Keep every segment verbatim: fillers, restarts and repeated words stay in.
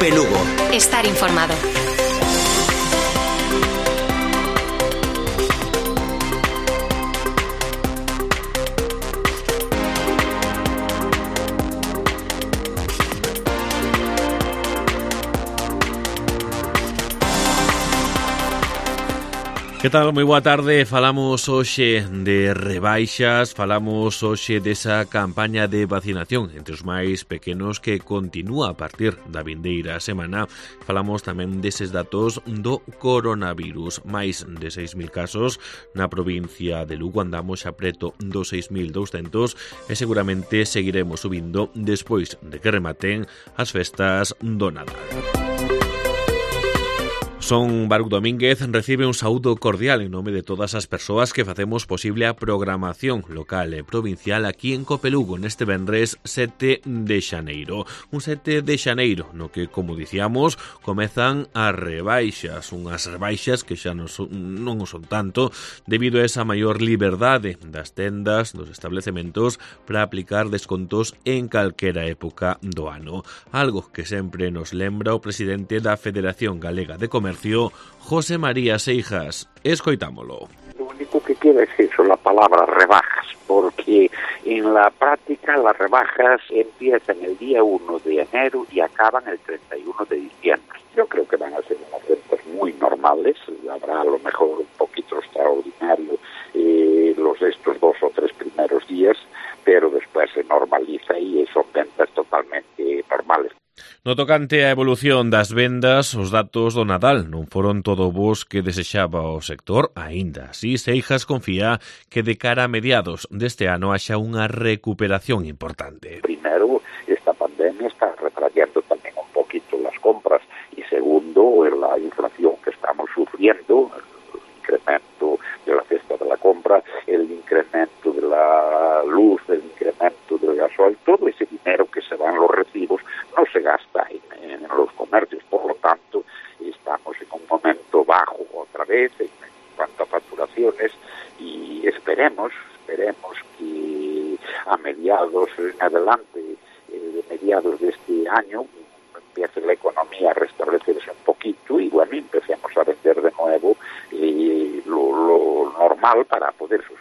COPE Lugo. Estar informado. Que tal? Moi boa tarde. Falamos hoxe de rebaixas, falamos hoxe desa campaña de vacinación entre os máis pequenos que continúa a partir da vindeira semana. Falamos tamén deses datos do coronavirus. Máis de seis mil casos na provincia de Lugo, andamos xa preto dos seis mil douscentos e seguramente seguiremos subindo despois de que rematen as festas do Nadal. Son Baruch Domínguez, recibe un saúdo cordial en nome de todas as persoas que facemos posible a programación local e provincial aquí en COPE Lugo neste vendres sete de xaneiro. Un sete de xaneiro no que, como dicíamos, comezan as rebaixas, unhas rebaixas que xa non son, non son tanto debido a esa maior liberdade das tendas, dos establecementos para aplicar descontos en calquera época do ano. Algo que sempre nos lembra o presidente da Federación Galega de Comercio, José María Seijas. Escoitámolo. Lo único que queda es eso, la palabra rebajas, porque en la práctica las rebajas empiezan el día uno de enero y acaban el treinta y uno de diciembre. Yo creo que van a ser unas ventas muy normales, habrá a lo mejor un poquito extraordinario eh, los de estos dos o tres primeros días, pero después se normaliza y son ventas totalmente normales. No tocante a evolución das vendas, os datos do Nadal non foron todo bos que desexaba o sector, aínda así Seijas confía que de cara a mediados deste ano haxa unha recuperación importante. Primero, esta pandemia está retrayendo tamén un poquito las compras y segundo, la inflación que estamos sufriendo, el incremento de la cesta de la compra, el incremento de la luz, el incremento del gasoil, todo ese dinero que se va en los recibos no se gasta en, en los comercios, por lo tanto estamos en un momento bajo otra vez en, en cuanto a facturaciones y esperemos, esperemos que a mediados en adelante, eh, de mediados de este año, empiece la economía a restablecerse un poquito y bueno, empecemos a vender de nuevo eh, lo, lo normal para poder subsistir.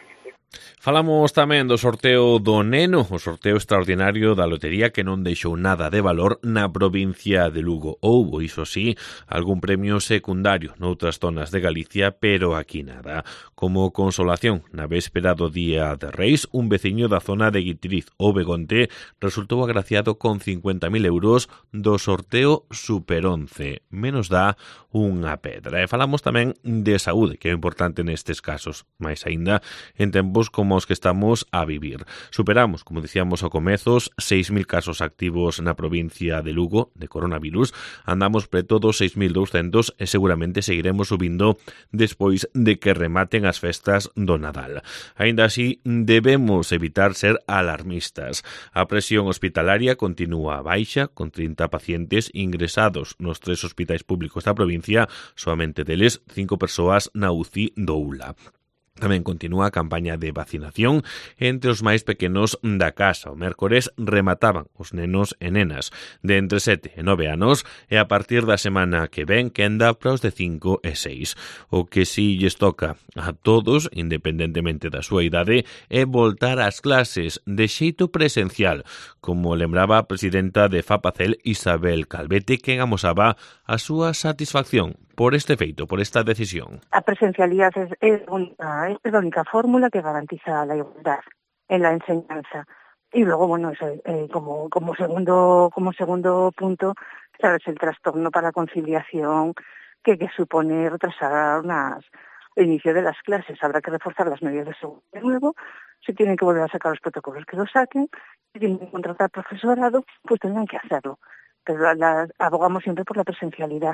Falamos tamén do sorteo do Neno, o sorteo extraordinario da lotería que non deixou nada de valor na provincia de Lugo. Houbo, iso sí, algún premio secundario noutras zonas de Galicia, pero aquí nada. Como consolación, na véspera do Día de Reis, un veciño da zona de Guitiriz, o Begonte, resultou agraciado con cincuenta mil euros do sorteo Super once. Menos dá unha pedra. E falamos tamén de saúde, que é importante nestes casos, máis aínda en tempos como os que estamos a vivir. Superamos, como dicíamos ao comezos, seis mil casos activos na provincia de Lugo de coronavirus. Andamos preto dos seis mil douscentos e seguramente seguiremos subindo despois de que rematen as festas do Nadal. Aínda así, debemos evitar ser alarmistas. A presión hospitalaria continúa baixa, con trinta pacientes ingresados nos tres hospitais públicos da provincia, soamente deles cinco persoas na U C I do U L A. Tamén continúa a campaña de vacinación entre os máis pequenos da casa. O mércores remataban os nenos e nenas de entre sete e nove anos e a partir da semana que ven quenda para os de cinco e seis. O que si lles toca a todos, independentemente da súa idade, é voltar ás clases de xeito presencial, como lembraba a presidenta de FAPACEL, Isabel Calvete, quen amosaba a súa satisfacción por este feito, por esta decisión. A presencialidad es, es, única, es la única fórmula que garantiza la igualdad en la enseñanza. Y luego, bueno, eso, eh, como, como, segundo, como segundo punto, sabes, el trastorno para la conciliación que, que supone retrasar unas, el inicio de las clases. Habrá que reforzar las medidas de seguridad de nuevo, si tienen que volver a sacar los protocolos que lo saquen, si tienen que contratar profesorado, pues tendrán que hacerlo. Pero la, abogamos siempre por la presencialidad.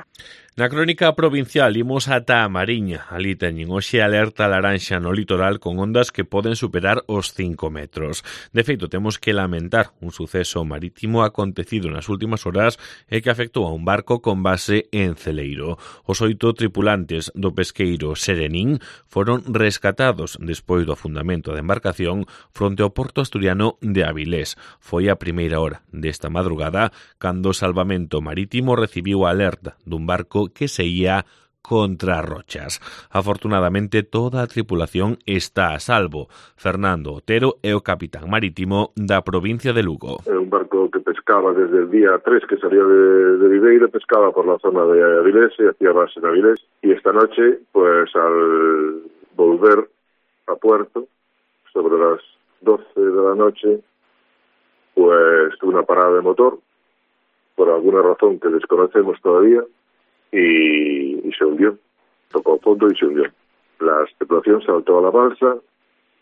Na crónica provincial imos ata a Mariña. Ali teñen hoxe alerta laranxa no litoral con ondas que poden superar os cinco metros. De feito, temos que lamentar un suceso marítimo acontecido nas últimas horas e que afectou a un barco con base en Celeiro. Os oito tripulantes do pesqueiro Serenín foron rescatados despois do afundamento da embarcación fronte ao porto asturiano de Avilés. Foi a primeira hora desta madrugada cando Salvamento Marítimo recibiu a alerta dun barco que se ía contra rochas. Afortunadamente, toda a tripulación está a salvo. Fernando Otero é o capitán marítimo da provincia de Lugo. É un barco que pescaba desde el día tres que salía de, de Viveiro, pescaba por la zona de Avilés y hacía base en Avilés. Y esta noche, pues al volver a puerto, sobre las doce de la noche, pues tuvo una parada de motor, por alguna razón que desconocemos todavía, y, y se hundió. Tocó fondo y se hundió. La tripulación saltó a la balsa,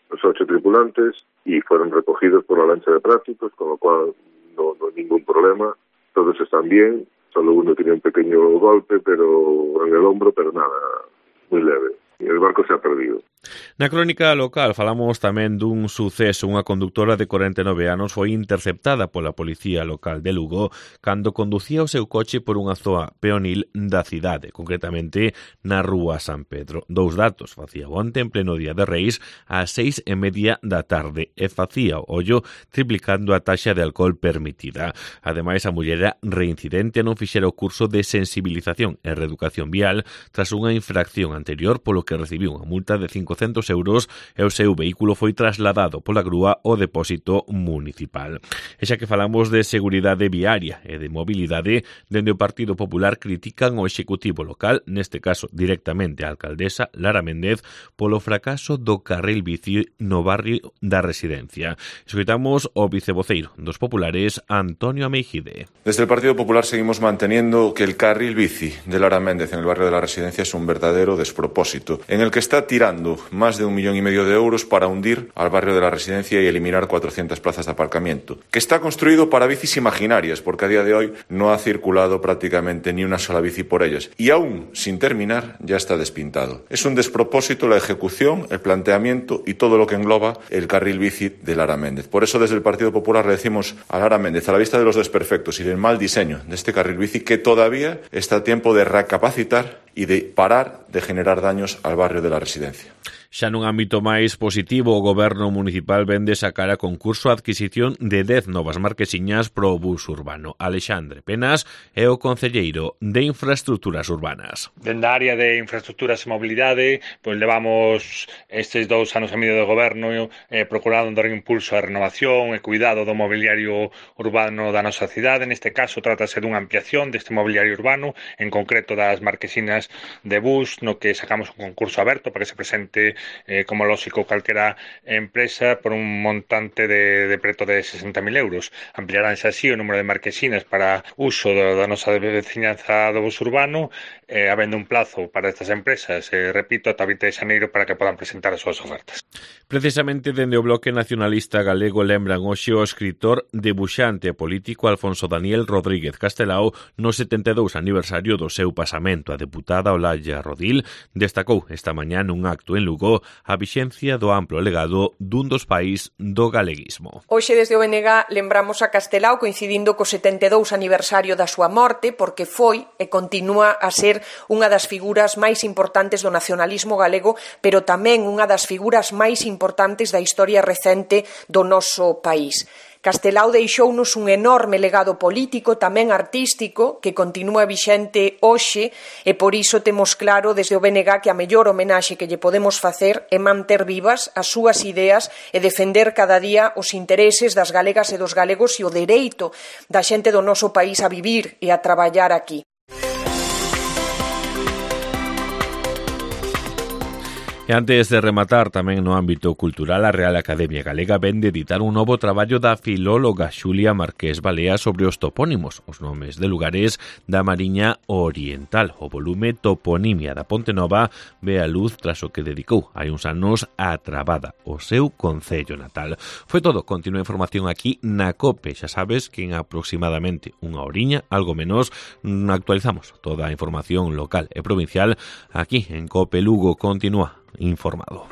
los ocho tripulantes, y fueron recogidos por la lancha de prácticos, con lo cual no, no hay ningún problema. Todos están bien, solo uno tiene un pequeño golpe pero en el hombro, pero nada, muy leve. Y el barco se ha perdido. Na crónica local falamos tamén dun suceso. Unha conductora de corenta e nove anos foi interceptada pola policía local de Lugo cando conducía o seu coche por unha zoa peonil da cidade, concretamente na rúa San Pedro. Dous datos: facía onte en pleno día de Reis ás seis e media da tarde e facía o ollo triplicando a taxa de alcohol permitida. Ademais, a muller era reincidente non fixera o curso de sensibilización e reeducación vial tras unha infracción anterior, polo que recibiu unha multa de cincocentos euros e o seu vehículo foi trasladado pola grúa ao depósito municipal. E xa que falamos de seguridade viaria e de mobilidade, dende o Partido Popular critican o Executivo local, neste caso directamente a alcaldesa Lara Méndez, polo fracaso do carril bici no barrio da Residencia. Escoitamos o vicevoceiro dos populares, Antonio Ameijide. Desde el Partido Popular seguimos manteniendo que el carril bici de Lara Méndez en el barrio de la Residencia es un verdadero despropósito, en el que está tirando más de un millón y medio de euros para hundir al barrio de la Residencia y eliminar cuatrocientas plazas de aparcamiento, que está construido para bicis imaginarias, porque a día de hoy no ha circulado prácticamente ni una sola bici por ellas, y aún sin terminar ya está despintado. Es un despropósito la ejecución, el planteamiento y todo lo que engloba el carril bici de Lara Méndez. Por eso desde el Partido Popular le decimos a Lara Méndez, a la vista de los desperfectos y del mal diseño de este carril bici, que todavía está a tiempo de recapacitar y de parar de generar daños al barrio de la Residencia. Xa nun ámbito máis positivo, o Goberno municipal vende sacar a concurso a adquisición de dez novas marquesiñas pro bus urbano. Alexandre Penas é o concelleiro de Infraestructuras Urbanas. Dende a área de Infraestructuras e Mobilidade, pois levamos estes dous anos e medio de goberno eh, procurando dar impulso á renovación e cuidado do mobiliario urbano da nosa cidade. Neste caso, trátase dunha ampliación deste mobiliario urbano, en concreto das marquesinas de bus, no que sacamos un concurso aberto para que se presente Eh, como lógico calquera empresa por un montante de, de preto de sesenta mil euros. Ampliaránse así o número de marquesinas para uso da, da nosa veciñanza do bus urbano, eh, habendo un plazo para estas empresas, eh, repito, ata vinte de xaneiro para que podan presentar as súas ofertas. Precisamente dende o Bloque Nacionalista Galego lembran hoxe o escritor, debuxante e político Alfonso Daniel Rodríguez Castelao no setenta e dous aniversario do seu pasamento. A deputada Olalla Rodil destacou esta mañá nun acto en Lugo a vixencia do amplo legado dun dos pais do galeguismo. Hoxe desde o B N G lembramos a Castelao coincidindo co setenta e dous aniversario da súa morte, porque foi e continúa a ser unha das figuras máis importantes do nacionalismo galego, pero tamén unha das figuras máis importantes da historia recente do noso país. Castelao deixounos un enorme legado político, tamén artístico, que continúa vixente hoxe, e por iso temos claro desde o B N G que a mellor homenaxe que lle podemos facer é manter vivas as súas ideas e defender cada día os intereses das galegas e dos galegos e o dereito da xente do noso país a vivir e a traballar aquí. E antes de rematar, tamén no ámbito cultural, a Real Academia Galega vende editar un novo traballo da filóloga Xulia Marqués Balea sobre os topónimos, os nomes de lugares da Mariña Oriental. O volume Toponimia da Ponte Nova ve a luz tras o que dedicou hai uns anos a Trabada, o seu concello natal. Foi todo, continúa a información aquí na COPE. Xa sabes que en aproximadamente unha horiña, algo menos, actualizamos toda a información local e provincial aquí en COPE Lugo. Continúa informado.